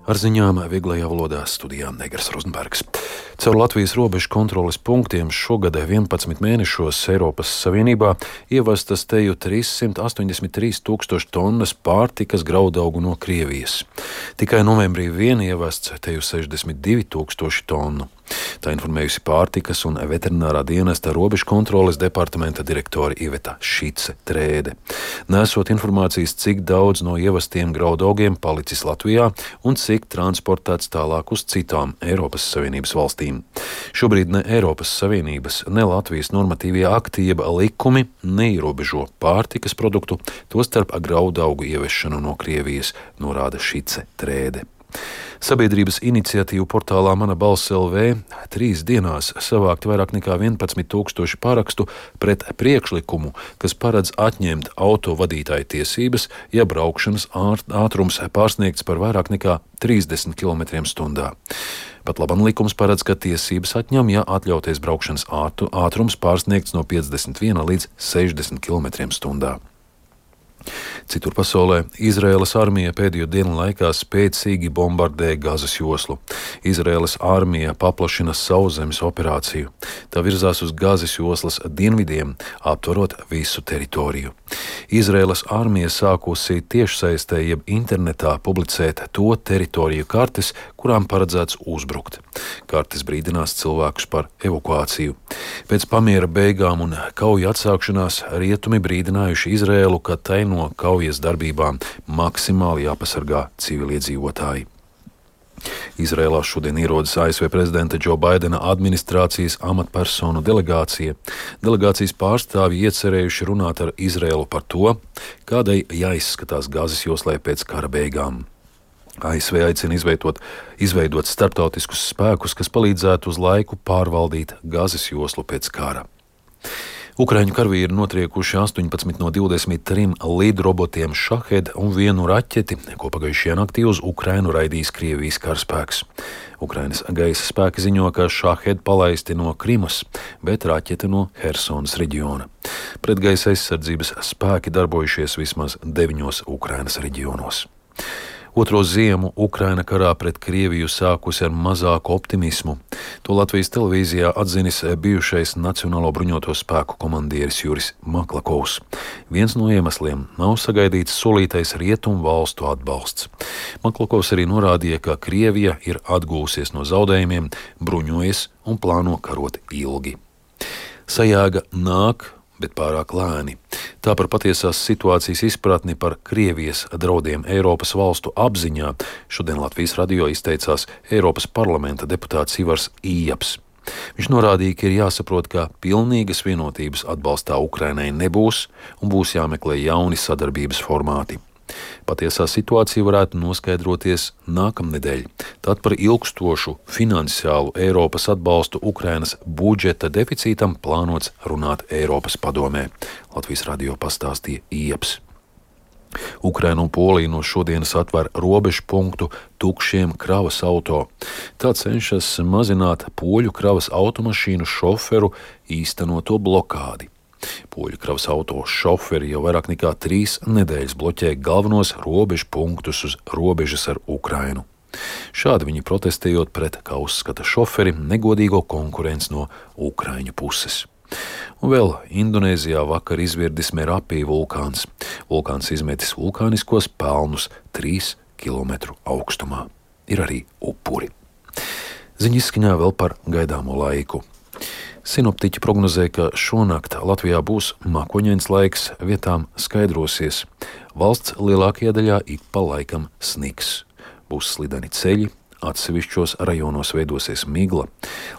Ar ziņām vieglajā valodā studijā Negras Rozenbergs. Caur Latvijas robežu kontroles punktiem šogad 11 mēnešos Eiropas Savienībā ievestas teju 383 tūkstoši tonnas pārtikas graudaugu no Krievijas. Tikai novembrī vien ievests teju 62 tūkstoši tonu. Tā informējusi pārtikas un veterinārā dienesta robežu kontroles departamenta direktore Iveta Šice-Trēde. Nesot informācijas, cik daudz no ievestiem graudaugiem palicis Latvijā un cik transportēts tālāk uz citām Eiropas Savienības valstīm. Šobrīd ne Eiropas Savienības, ne Latvijas normatīvie akti jeb likumi neierobežo pārtikas produktu, tostarp graudaugu ieviešanu no Krievijas, norāda Šice-Trēde. Sabiedrības iniciatīvu portālā Mana balss LV 3 dienās savākt vairāk nekā 11 tūkstoši parakstu pret priekšlikumu, kas paredz atņemt autovadītāju tiesības, ja braukšanas ātrums pārsniegts par vairāk nekā 30 km/h. Pat labam likums paredz, ka tiesības atņem, ja atļautais braukšanas ātrums pārsniegts no 51 līdz 60 km/h. Citur pasaulē Izraēlas armija pēdējo dienu laikā spēcīgi bombardē Gazas joslu. Izraēlas armija paplašina sauszemes operāciju. Tā virzās uz Gazas joslas dienvidiem, aptverot visu teritoriju. Izraēlas armija sākusi tiešsaistē jeb internetā publicēt to teritoriju kartes, kurām paredzēts uzbrukt. Kartes brīdinās cilvēkus par evakuāciju. Pēc pamiera beigām un kauju atsākšanās rietumi brīdinājuši Izraēlu, ka tai no kaujas darbībām maksimāli jāpasargā civiliedzīvotāji. Izrēlā šodien ierodas ASV prezidenta Džo Baidena administrācijas amatpersonu delegācija. Delegācijas pārstāvji iecerējuši runāt ar Izrēlu par to, kādai jāizskatās Gazas joslai pēc kara beigām. ASV aicina izveidot starptautiskus spēkus, kas palīdzētu uz laiku pārvaldīt Gazas joslu pēc kara. Ukraiņu karavīri notriekuši 18 no 23 lidrobotiem Šahed un 1 raķeti, ko pagājušajā naktī uz Ukrainu raidījis Krievijas karaspēks. Ukrainas gaisa spēki ziņo, ka Šahed palaisti no Krimas, bet raķete no Hersonas reģiona. Pretgaisa aizsardzības spēki darbojušies vismaz 9 Ukrainas reģionos. Otro ziemu Ukraina karā pret Krieviju sākusi ar mazāku optimismu. To Latvijas televīzijā atzinis bijušais Nacionālo bruņoto spēku komandieris Juris Maklakovs. Viens no iemesliem nav sagaidīts solītais rietumu valstu atbalsts. Maklakovs arī norādīja, ka Krievija ir atgūsies no zaudējumiem, bruņojas un plāno karot ilgi. Sajēga nāk, bet pārāk lēni. Tā par patiesās situācijas izpratni par Krievijas draudiem Eiropas valstu apziņā šodien Latvijas radio izteicās Eiropas parlamenta deputāts Ivars Ījaps. Viņš norādīja, ka ir jāsaprot, ka pilnīgas vienotības atbalstā Ukrainai nebūs un būs jāmeklē jauni sadarbības formāti. Patiesā situācija varētu noskaidroties nākamnedēļ. Tad par ilgstošu finansiālu Eiropas atbalstu Ukrainas budžeta deficītam plānots runāt Eiropas padomē. Latvijas radio pastāstīja Ījaps. Ukraina un Polija no šodienas atver robežu punktu tukšiem kravas auto. Tā cenšas mazināt poļu kravas automašīnu šoferu īstenoto blokādi. Poļu kravas auto šoferi jau vairāk nekā 3 nedēļas bloķē galvenos robežu punktus uz robežas ar Ukrainu. Šādi viņi protestējot pret, kā uzskata šoferi, negodīgo konkurenci no Ukraiņu puses. Un vēl Indonēzijā vakar izvirdis Merapi vulkāns. Vulkāns izmetis vulkāniskos pelnus 3 km augstumā. Ir arī upuri. Ziņa izskaņā vēl par gaidāmo laiku. Sinoptiķi prognozē, ka šonakt Latvijā būs mākoņains laiks, vietām skaidrosies. Valsts lielākajā daļā ik pa laikam sniks. Būs slideni ceļi, atsevišķos rajonos veidosies migla.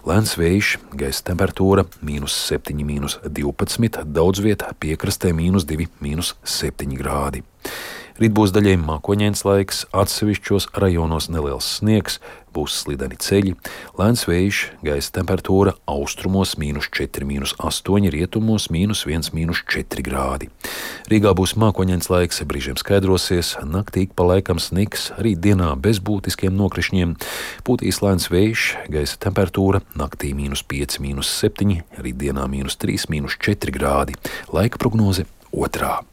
Lēns vējš, gaisa temperatūra -7, -12, daudz vietā piekrastē -2, -7 grādi. Rīt būs daļai mākoņains laiks, atsevišķos rajonos neliels sniegs, būs slideni ceļi, lēns vējš, gaisa temperatūra austrumos -4, -8, rietumos -1, -4 grādi. Rīgā būs mākoņains laiks, brīžiem skaidrosies, naktī pa laikam sniks, rīt dienā bez būtiskiem nokrišņiem, pūtīs lēns vējš, gaisa temperatūra naktī -5, -7, rīt dienā -3, -4 grādi. Laika prognoze 2.